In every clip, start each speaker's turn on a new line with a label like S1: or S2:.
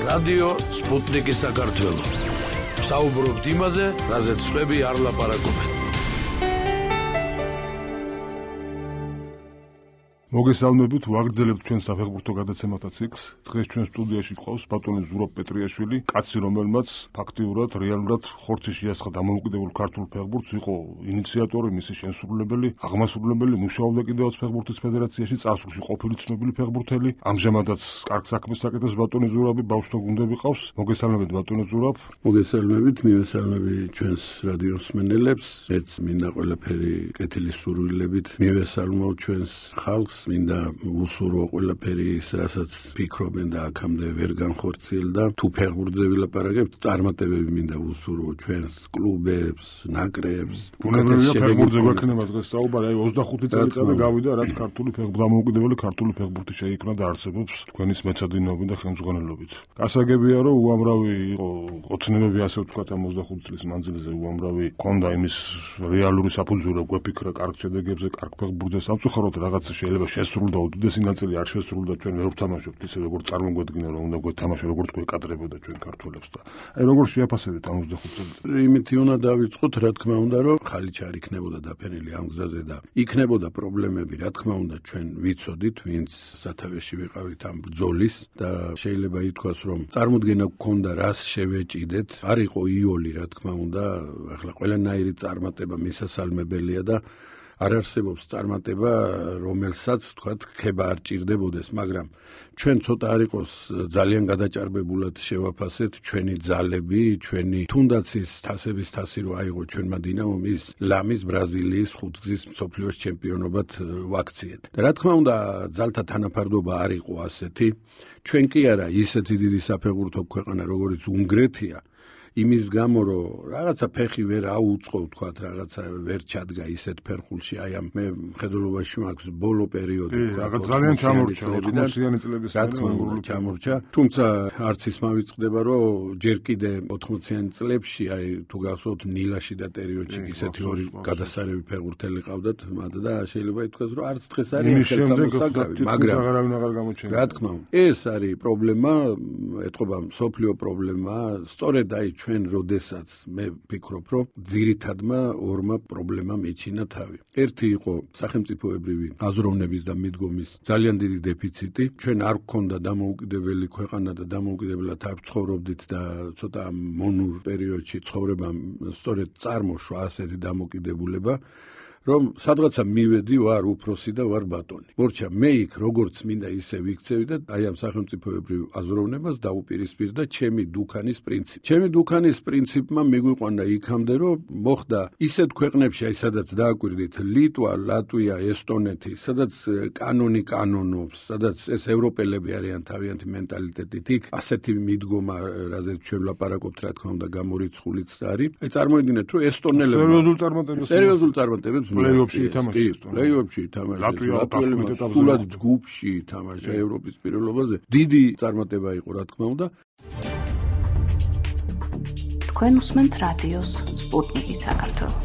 S1: რადიო სპუტნიკი საქართველო. საუბრობთ იმაზე, რაზეც სხვები არ ლაპარაკობენ.
S2: მოგესალმებით, ვაგრძელებთ ჩვენ საფეხბურთო გადაცემათა ციკლს. დღეს ჩვენ სტუდიაში ყავს ბატონი ზურაბ პეტრიაშვილი, კაცი, რომელმაც ფაქტიურად, რეალურად ხორცი შეასხა დამოუკიდებელ ქართულ ფეხბურთს, იყო ინიციატორი, მისი შემსრულებელი, აღმასრულებელი, მუშაობდა კიდევაც ფეხბურთის ფედერაციაში, წარსულში ყოფილი ცნობილი ფეხბურთელი. ამჟამადაც კარგ საქმეს აკეთებს ბატონი ზურაბი, ბავშვთა გუნდები ყავს. მოგესალმებით ბატონი ზურაბ.
S3: მოგესალმებით, მივესალმები ჩვენს რადიოს მსმენელებს. მეც მინდა ყველაფერი კეთილის სურვილებით მივესალმო ჩვენს ხალხს. მინდა უსურო ყველაფერი ის, რასაც ფიქრობენ და აქამდე ვერ განხორციელდა. თუ ფეხბურთზე ვილაპარაკებთ, წარმატებები მინდა უსურო ჩვენს კლუბებს, ნაკრებს.
S2: ბუნებრივია ფეხბურთზე გვექნება დღეს საუბარი, 25 წელიწადი გავიდა, რაც ქართული დამოუკიდებელი ქართული ფეხბურთი შეიქმნა და არსებობს თქვენის მეცადინეობით და ხელმძღვანელობით. გასაგებია, რომ უამრავი იყო ოცნებები, ასე ვთქვათ, ამ 25 წლის მანძილზე უამრავი ჰქონდა იმის რეალური საფუძველი, გვეფიქრა კარგ შედეგებზე, კარგ ფეხბურთზე. სამწუხაროდ რაღაცა შეიძლება შესრულდა, უდიდესი ნაწილი არ შესრულდა, ჩვენ ვერ ვთამაშობთ ისე როგორც წარმოგვედგინა, რომ უნდა გვეთამაშო, როგორც გვეკადრებოდა ჩვენ ქართველებს და აი როგორ შეაფასებთ ამ 25 წელს?
S3: იმითი უნდა დავიწყოთ, რა თქმა უნდა, რომ ხალიჩ არ იქნებოდა დაფენილი ამ გზაზე და იქნებოდა პრობლემები, რა თქმა უნდა, ჩვენ ვიცოდით, ვინც სათავეში ვიყავით ამ ბრძოლის და შეიძლება ითქვას, რომ წარმოდგენა გქონდა, რას შევეჭიდეთ. არ იყო იოლი, რა თქმა უნდა, ახლა ყველანაირი წარმატება მისასალმებელია და არ არსებობს წარმატება, რომელსაც თქვათ ხება არ ჭირდებოდეს, მაგრამ ჩვენ ცოტა არ იყოს ძალიან გადაჭარბებულად შევაფასეთ ჩვენი ძალები, ჩვენი თუნდაც ის თასების თასი რო აიღო ჩვენმა დინამომ, ის ლამის ბრაზილიის ხუთგზის მსოფლიოს ჩემპიონობად ვაქციეთ. და რა თქმა უნდა, ძალთა თანაფარდობა არ იყო ასეთი. ჩვენ კი არა ისეთი დიდი საფეხბურთო ქვეყანა, როგორც უნგრეთია. იმის გამო, რომ რაღაცა ფეხი ვერ აუწყო, თქვათ, რაღაცა ვერ ჩადგა ისეთ ფერხულში, აი ამ მე მხედველობაში მაქვს ბოლო პერიოდი,
S2: რაღაც ძალიან ჩამორჩა 80-იანი წლების
S3: ჩამორჩა. თუმცა არც ის მავიწყდება, რომ ჯერ კიდე 80-იანი წლებში, აი თუ გახსოვთ ნილაში და ტერიოჩი ისეთი ორი გადასარევი ფეხბურთელი ყავდათ, მათ და შეიძლება ითქვას, რომ არც დღეს არის ხელსამოსაგრავი, მაგრამ რა თქმა უნდა, ეს არის პრობლემა, ეთყობა მსოფლიო პრობლემა, სწორედ აი ჩვენ როდესაც მე ვფიქრობ, რომ ძირითადმა ორმა პრობლემამ ეჩინა თავი. ერთი იყო სახელმწიფოებრივი აზროვნების და მიდგომის ძალიან დიდი დეფიციტი. ჩვენ არ გქონდა დამოუკიდებელი ქვეყანა და დამოუკიდებლად არ ცხოვრობდით და ცოტა მონურ პერიოდში ცხოვრებამ სწორედ წარმოშვა ასეთი დამოკიდებულება, რომ სადღაცა მივედი, ვარ უფროსი და ვარ ბატონი. მორჩა მე იქ როგორც მინდა ისე ვიქცევი და აი ამ სახელმწიფოებრივ აზროვნებას დაუპირისპირდა ჩემი დუქანის პრინციპი. ჩემი დუქანის პრინციპმა მიგვიყვანა იქამდე, რომ მოხდა ისეთ ქვეყნებში, აი სადაც დააკვირდით, ლიტვა, ლატვია, ესტონეთი, სადაც კანონი კანონობს, სადაც ეს ევროპელები არიან თავიანთი მენტალიტეტით, იქ ასეთი მიდგომა, რაზეც ჩვენ ვლაპარაკობთ, რა თქმა უნდა, გამორიცხულიც არის. აი წარმოიდგინეთ, რომ ესტონელებმა სერიოზულ წარმატებებს
S2: პლეიოფში ითამაშეს.
S3: პლეიოფში ითამაშეს. ლატვიელებმა სულად ჯგუფში ითამაშა ევროპის პირველობაზე. დიდი წარმატება იყო, რა თქმა უნდა.
S4: თქვენ უსმენთ რადიოს სპუტნიკი საქართველო.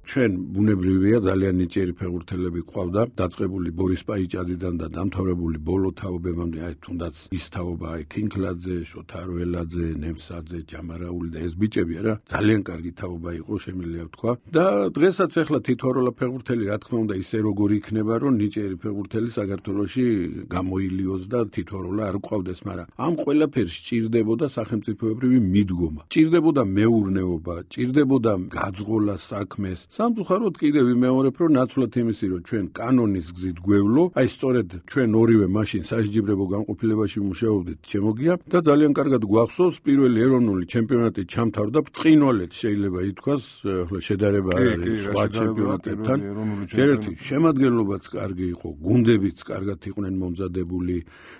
S3: ჩვენ ბუნებრივია ძალიან ნიჭიერი ფეხბურთელები ყავდა, დაწყებული ბორის პაიჭაძიდან და დამთავრებული ბოლო თაობებამდე, აი თუნდაც ის თაობა, აი კინკლაძე, შოთარველაძე, ნემსაძე, ჯამარაული და ეს ბიჭები არა, ძალიან კარგი თაობა იყო, შემიძლია ვთქვა. და დღესაც ახლა თითოეულა ფეხბურთელი, რა თქმა უნდა, ისე როგორ იქნება, რომ ნიჭიერი ფეხბურთელი საქართველოში გამოილიოს და თითოეულა არ ყავდეს, მაგრამ ამ ყველაფერს ჭირდებოდა სახელმწიფოებრივი მიდგომა. ჭირდებოდა მეურნეობა, ჭირდებოდა გაძღოლა საქმეს. სამწუხაროდ კიდევ ვიმეორებ, რომ ნაცვლად იმისი, რომ ჩვენ კანონის გზით გვევლო, აი სწორედ ჩვენ ორივე მაშინ სასჯიბრებო განყოფილებაში მუშაობდით, შემოგია და ძალიან კარგად გვახსოვს პირველი ეროვნული ჩემპიონატი ჩამთავრდა ბრწყინვალედ, შეიძლება ითქვას, ახლა შედარება არ არის სხვა ჩემპიონატებთან. ერთი შემადგენლობაც კარგი იყო, გუნდებიც კარგად იყვნენ მომზადებული,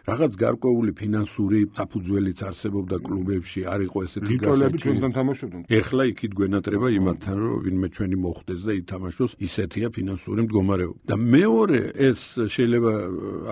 S3: რაღაც გარკვეული ფინანსური საფუძველიც არსებობდა კლუბებში, არ იყო ესეთი
S2: გასაჭიროები ჩვენთან თამაშობდნენ.
S3: ეხლა იქით გვენატრება იმათთან, რომ ვინმე ჩვენი მოხდეს და ითამაშოს, ისეთია ფინანსური მდგომარეობა. და მეორე ეს შეიძლება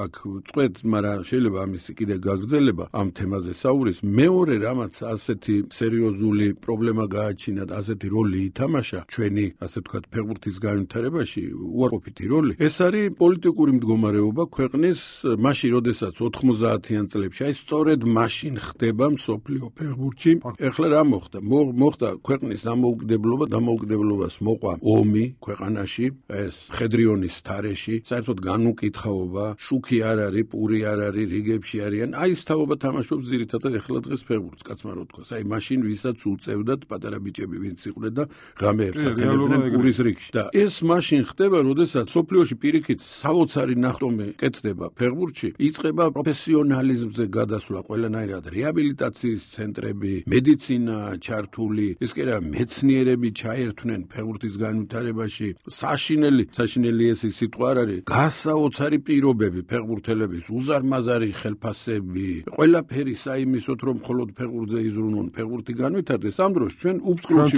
S3: აქ წვეთ, მაგრამ შეიძლება ამისი კიდე გაგრძელება ამ თემაზე საურის. მეორე რამაც ასეთი სერიოზული პრობლემა გააჩინა და ასეთი როლი ითამაშა ჩვენი, ასე ვთქვათ, ფეხბურთის განვითარებაში, უარყოფითი როლი. ეს არის პოლიტიკური მდგომარეობა ქვეყნის მაშინ, როდესაც 90-იან წლებში, აი სწორედ მაშინ ხდება მსოფლიო ფეხბურთში. ეხლა რა მოხდა? მოხდა ქვეყნის დამოუკიდებლობას მოყვა ომი ქვეყანაში, ეს მხედრიონის თარეში, საერთოდ განუკითხაობა, შუქი არ არის, პური არ არის, რიგებში არიან. აი ეს თაობა თამაშობს ძირითადად ეხლა დღეს ფეხბურთს, კაცმა რო თქვა. აი მაშინ ვისაც უწევდათ პატარა ბიჭები ვინც იყვნენ და ღამეებს აკეთებდნენ პურის რიგში. და ეს მაშინ ხდება, როდესაც სოფლიოში პირიქით საოცარი ნახტომი კეთდება ფეხბურთში, იწყება პროფესიონალიზმზე გადასვლა ყველანაირად, რეაბილიტაციის ცენტრები, მედიცინა ჩართული, ის კი არა მეცნიერები ჩაერთვნენ ფეხბურთის განვითარებაში, საშინელი ეს სიტყვა არ არის, გასაოცარი პირობები ფეხბურთელების, უზარმაზარი ხელფასები, ყველაფერი საიმისოთ, რომ მხოლოდ ფეხბურთზე იზრუნონ, ფეხბურთი განვითარდეს. ამ დროს ჩვენ უფსკრულში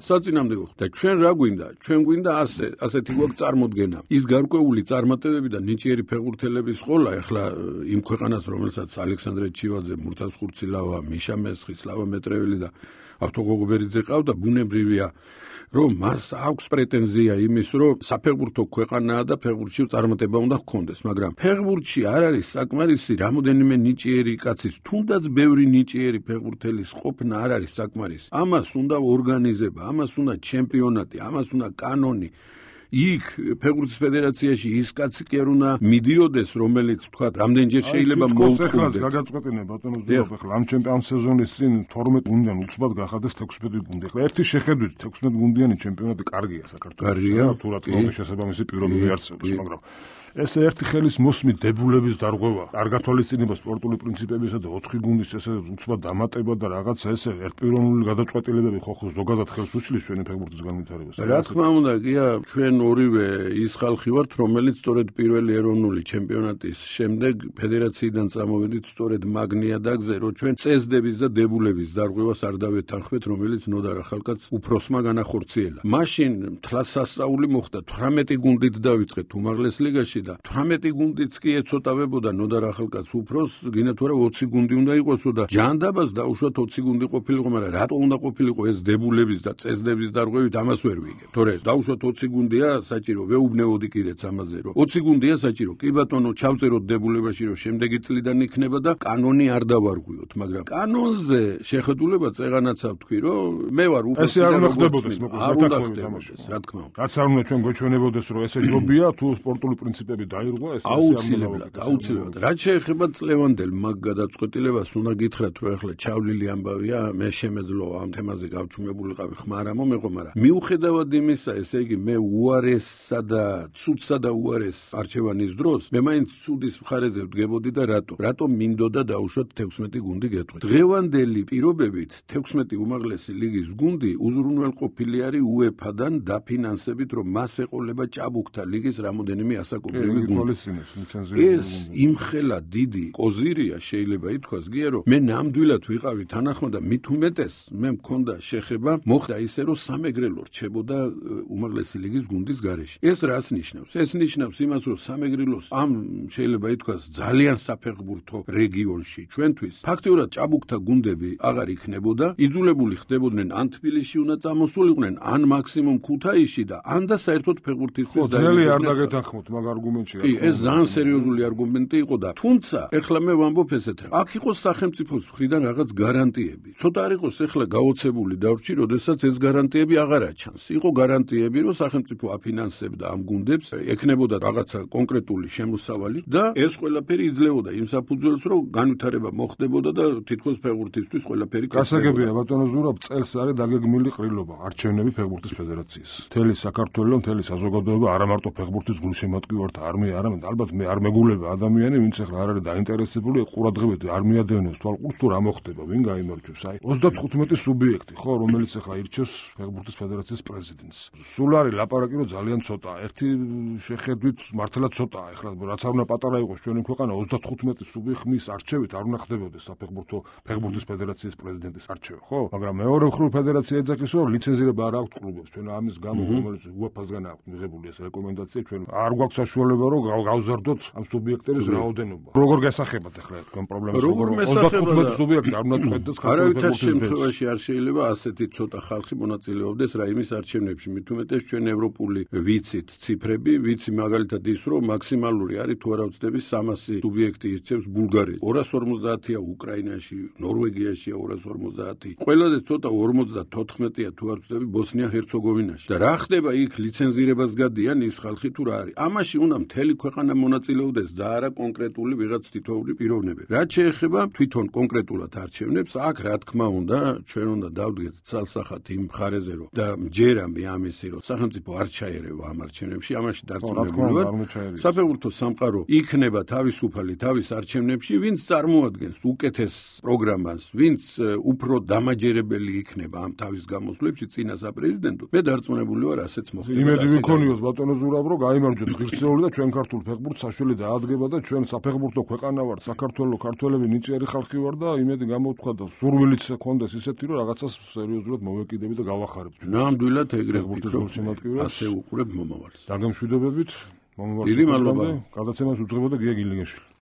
S3: საწინააღმდეგო და ჩვენ რა გვინდა? ჩვენ გვინდა ასეთი გვაქვს წარმოდგენა. ის გარკვეული წარმატებები და ნიჭიერი ფეხბურთელების ყოლა, ეხლა იმ ქვეყანას, რომელსაც ალექსანდრე ჩივაძე, მურთაზ ხურცილავა, მიშა მესხი, სლავა მეტრეველი და ავთო გოგობერიძე ყავდა, ბუნებრივია, რომ მას აქვს პრეტენზია იმის, რომ საფეხბურთო ქვეყანაა და ფეხბურთში წარმატება უნდა ჰქონდეს, მაგრამ ფეხბურთში არ არის საკმარისი რამოდენიმე ნიჭიერი კაცის, თუნდაც ბევრი ნიჭიერი ფეხბურთელის ყოფნა არ არის საკმარისი. ამას უნდა ორგანიზება, ამას უნდა ჩემპიონატი, ამას უნდა კანონი. იქ ფეხბურთის ფედერაციაში ის კაცი კი არ უნდა მიდიოდეს, რომელიც თქვა რამდენჯერ შეიძლება მოუწოდოს.
S2: გაგაწყვეტინა ბატონო ზურაბ, ახლა ამ სეზონის წინ 12 გუნდიდან უცბად გახადეს 16 გუნდი. ახლა ერთი შეხედვით 16 გუნდიანი ჩემპიონატი კარგია საქართველოში.
S3: კარგია,
S2: თუ რა თქმა უნდა შესაბამისი პირობები არსებობს, მაგრამ ეს ერთი ხელის მოსმით დებულების დარღვევა, არ გათვალისწინება სპორტული პრინციპებისა და 4 გუნდის ესე უცბად დამატება და რაღაცა ესე ერთპიროვნული გადაწყვეტილებები ხო ზოგადად ხელს უშლის ჩვენი ფეხბურთის განვითარებას.
S3: რა თქმა უნდა, გია, ჩვენ ორივე ის ხალხი ვართ, რომელიც სწორედ პირველი ეროვნული ჩემპიონატის შემდეგ ფედერაციიდან წამოვედით სწორედ მაგნია დაგზე, რომ ჩვენ წესდების და დებულების დარღვევას არ დავეთანხმეთ, რომელიც ნოდარ ახალკაც უფროსმა განახორციელა. მაშინ თვალსასწაული მოხდა 18 გუნდით დავიწყეთ უმაღლეს ლიგაში და 18 გუნდიც კი ეცოტავებოდა ნოდარ ახალკაც უფროს, გინდა თუ არა 20 გუნდი უნდა იყოსო და ჯანდაბას დაუშვათ 20 გუნდი ყოფილიყო, მაგრამ რატო უნდა ყოფილიყო ეს დებულების და წესდების დარღვევით, ამას ვერ ვიგებ. თორე დაუშვათ 20 გუნდია საჭირო, ვეუბნეოდი კიდეც ამაზე, რომ 20 გუნდია საჭირო. კი ბატონო, ჩავწეროთ დებულებაში, რომ შემდეგი წლიდან იქნება და კანონი არ დავარღვიოთ, მაგრამ კანონზე შეხედულება წეღანაცა ვთქვი, რომ მე ვარ უფროსი
S2: და არ უნდა ხდებოდეს,
S3: არ უნდა ხდებოდეს, რა თქმა უნდა.
S2: რაც არ უნდა ჩვენ გვეჩვენებოდეს, რომ ესე ჯობია, თუ სპორტული პრინციპები დაირღვა, ეს
S3: აუცილებლად. რაც შეეხება წლევანდელ მაგ გადაწყვეტილებას, უნდა გითხრათ, რომ ახლა ჩავლილი ამბავია, მე შემეძლო ამ თემაზე გავჩუმებულიყავი ხმარა მომეყო, მაგრამ მიუხედავად იმისა, ესე იგი მე უარესსა და ცუდსა და უარეს არჩევანის დროს, მე მაინც ცუდის მხარეზე ვდგებოდი და რატო მინდოდა დაუშვათ 16 გუნდი გეტყვით. დღევანდელი პირობებით 16 უმაღლესი ლიგის გუნდი უზრუნველყოფილი არის UEFA-დან დაფინანსებით, რომ მას ეყოლება ჭაბუკთა ლიგის რამოდენიმე ასაკობრივი გუნდი. ეს იმხელა დიდი კოზირია, შეიძლება ითქვას გია, რომ მე ნამდვილად ვიყავი თანახმად და მით უმეტეს მე მქონდა შეხება, მოხდა ისე, რომ სამეგრელო რჩებოდა უმაღლესი ლიგის გუნდის გარეშე. ეს რას ნიშნავს? ეს ნიშნავს იმას, რომ სამეგრელოს ამ შეიძლება ითქვას ძალიან საფეხბურთო რეგიონში ჩვენთვის ფაქტიურად ჭაბუკთა გუნდები აღარ იქნებოდა, იძულებული ხდებოდნენ ან თბილისში უნდა წამოსულიყვნენ, ან მაქსიმუმ ქუთაისში და ან და საერთოდ ფეხბურთისთვის
S2: ძნელი არ დაგეთანხმოთ მაგ არგუმენტში.
S3: კი, ეს ძალიან სერიოზული არგუმენტი იყო და თუმცა ეხლა მე ვამბობ ესეთ რა. აქ იყოს სახელმწიფოს მხრიდან რაღაც გარანტიები. ცოტა არ იყოს ეხლა გაოცებული დავრჩი, როდესაც ეს გარანტიები აღარ აჩანს. იყო გარანტიები, რომ სახელმწიფო აფინანსებდა ამ გუნდებს, ექნებოდა რაღაცა კონკრეტული შემოსავალი და ეს ყველაფერი იძლეოდა იმ საფუძველს, რომ განვითარება მოხდებოდა და თითქოს ფეხბურთისთვის ყველაფერი
S2: გასაგებია ბატონო ზურაბ, წელს არის დაგეგმილი ყრილობა არჩევნები ფეხბურთის ფედერაციის. მთელი საქართველო, მთელი საზოგადოება არა მარტო ფეხბურთის გულშემატკივართა არმია, არამედ ალბათ მე არ მეგულება ადამიანი, ვინც ახლა არ არის დაინტერესებული ყურადღებით არ მიადევნებს თვალყურს თუ რა მოხდება, ვინ გაიმარჯვებს. აი 35 სუბიექტი ხო, რომელიც ახლა ირჩევს ფეხბურთის ფედერაციის პრეზიდენტს. სულ არის ლაპარაკი, რომ ძალიან ცოტა. ერთი შეხედვით მართლა ცოტაა. ეხლა რაც არ უნდა პატარა იყოს ჩვენი ქვეყანა 35 სუბიექტის არჩევით არ უნდა ხდებოდეს საფეხბურთო ფეხბურთის ფედერაციის პრეზიდენტის არჩევა, ხო? მაგრამ მეორე მხრივ ფედერაცია ეძახის რომ ლიცენზირება არ აქვს კლუბებს. ჩვენ ამის გამო რომელიც UEFA-სგან აქვს მიღებული ეს რეკომენდაცია ჩვენ არ გვაქვს საშუალება რომ გავზარდოთ ამ სუბიექტების რაოდენობა. როგორ გასახებად ახლა თქვენ პრობლემას? 35 სუბიექტი არ უნდა წვეთდეს
S3: არავითარ შემთხვევაში არ შეიძლება ასეთი ცოტა ხალხი მონაწილეობდეს რაიმის არჩევნებში. მით უმეტეს ჩვენ ევროპული ვიცით ციფრები, ვიცი მაგალითად ის რომ მაქსიმალური არის თუ არა ვცდები 300 სუბიექტი ირჩევს ბულგარეთში. 250-ია უკრაინაში, ნორვეგიაში 250. ყველაზე ცოტა 54-ია თუ არ ვცდები ბოსნია-ჰერცეგოვინაში. და რა ხდება იქ ლიცენზირებას გადიან ის ხალხი თუ რა არის. ამაში უნდა მთელი ქვეყანა მონაწილეობდეს და არა კონკრეტული ვიღაც თითოეული პიროვნებები. რაც შეეხება თვითონ კონკრეტულად არჩევნებს, აქ რა თქმა უნდა ჩვენ უნდა დავდგეთ ცალსახად იმ მხარეზე რომ და ჯერამე ამისი რომ სახელმწიფო არ ჩაერევა ამ არჩევნებში, ამაში დარწმუნებული ვარ. საფეხბურთო სამყარო იქნება თავისუფალი თავის არჩევნებში, ვინც წარმოადგენს უკეთეს პროგრამას, ვინც უფრო დამაჯერებელი იქნება ამ თავის გამოსვლებში წინა საპრეზიდენტო. მე დარწმუნებული ვარ ასეც მოხდება.
S2: იმედი ვიქონიოთ ბატონო ზურაბ რომ გაიმარჯვოთ ღირსეული და ჩვენ ქართულ ფეხბურთს საშუალება დაადგება და ჩვენ საფეხბურთო ქვეყანა ვართ, საქართველოს ქართველები ნიჭიერი ხალხი ვარ და იმედი გამოვთქვა და სურვილიც ჰქონდეს ისეთი რომ რაღაცას სერიოზულად მოვეკიდები და გავახარებთ.
S3: ნამდვილად ეგრე ვფიქრობ, ასე უყურებ მომავალს.
S2: დაგემშვიდობებით,
S3: დიდი მადლობა.
S2: გადაცემას უძღვებოდა გია გილინგეშვილი.